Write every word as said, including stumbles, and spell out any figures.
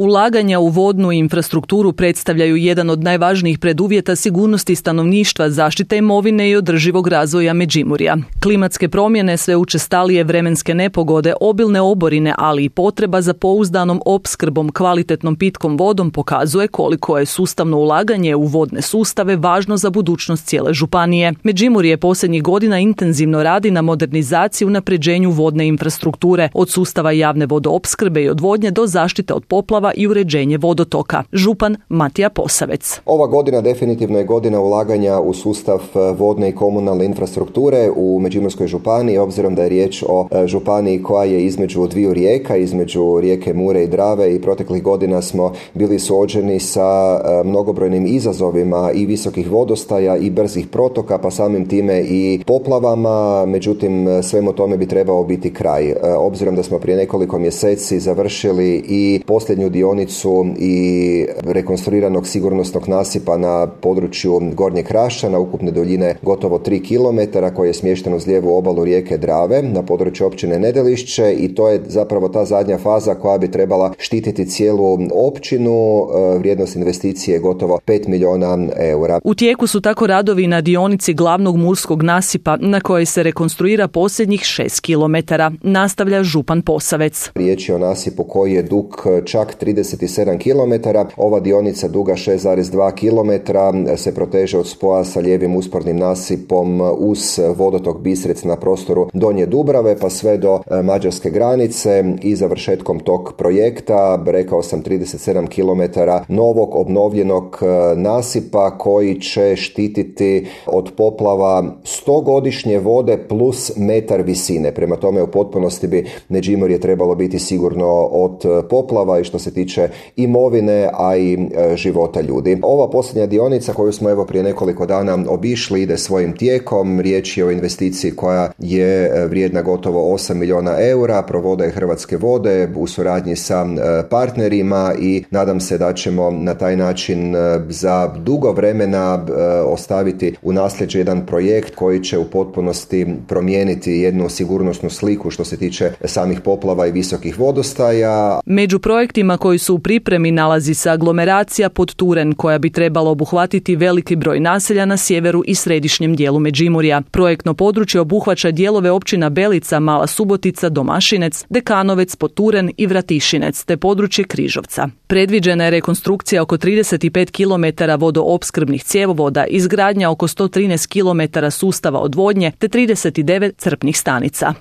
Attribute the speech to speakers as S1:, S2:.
S1: Ulaganja u vodnu infrastrukturu predstavljaju jedan od najvažnijih preduvjeta sigurnosti stanovništva, zaštite imovine i održivog razvoja Međimurja. Klimatske promjene, sve učestalije vremenske nepogode, obilne oborine, ali i potreba za pouzdanom opskrbom kvalitetnom pitkom vodom pokazuje koliko je sustavno ulaganje u vodne sustave važno za budućnost cijele županije. Međimurje posljednjih godina intenzivno radi na modernizaciji i unapređenju vodne infrastrukture, od sustava javne vodoopskrbe i odvodnje do zaštite od poplava i uređenje vodotoka. Župan Matija Posavec.
S2: Ova godina definitivno je godina ulaganja u sustav vodne i komunalne infrastrukture u Međimurskoj županiji, obzirom da je riječ o županiji koja je između dviju rijeka, između rijeke Mure i Drave, i proteklih godina smo bili suočeni sa mnogobrojnim izazovima i visokih vodostaja i brzih protoka, pa samim time i poplavama. Međutim, svemu tome bi trebao biti kraj. Obzirom da smo prije nekoliko mjeseci završili i posljednju dionicu i rekonstruiranog sigurnosnog nasipa na području Gornjeg Hrašća na ukupne duljine gotovo tri kilometra, koji je smješten uz lijevu obalu rijeke Drave na području općine Nedelišće, i to je zapravo ta zadnja faza koja bi trebala štititi cijelu općinu. Vrijednost investicije je gotovo pet milijuna eura.
S1: U tijeku su tako radovi na dionici glavnog murskog nasipa na kojoj se rekonstruira posljednjih šest kilometara, nastavlja župan Posavec.
S2: Riječ je o nasipu koji je dug čak trideset sedam kilometara. Ova dionica duga šest zarez dva kilometra se proteže od spoja sa lijevim uspornim nasipom uz vodotok Bistrec na prostoru Donje Dubrave pa sve do mađarske granice i završetkom tog projekta, rekao sam, trideset sedam kilometara novog obnovljenog nasipa koji će štititi od poplava stogodišnje vode plus metar visine. Prema tome u potpunosti bi Međimurje trebalo biti sigurno od poplava i što se tiče imovine, a i e, života ljudi. Ova posljednja dionica koju smo evo prije nekoliko dana obišli ide svojim tijekom. Riječ je o investiciji koja je vrijedna gotovo osam milijuna eura, provode je Hrvatske vode u suradnji sa e, partnerima i nadam se da ćemo na taj način e, za dugo vremena e, ostaviti u nasljeđe jedan projekt koji će u potpunosti promijeniti jednu sigurnosnu sliku što se tiče samih poplava i visokih vodostaja.
S1: Među projektima koji su u pripremi nalazi se aglomeracija Podturen, koja bi trebala obuhvatiti veliki broj naselja na sjeveru i središnjem dijelu Međimurja. Projektno područje obuhvaća dijelove općina Belica, Mala Subotica, Domašinec, Dekanovec, Podturen i Vratišinec, te područje Križovca. Predviđena je rekonstrukcija oko trideset pet kilometara vodoopskrbnih cjevovoda, izgradnja oko sto trinaest kilometara sustava odvodnje te trideset devet crpnih stanica.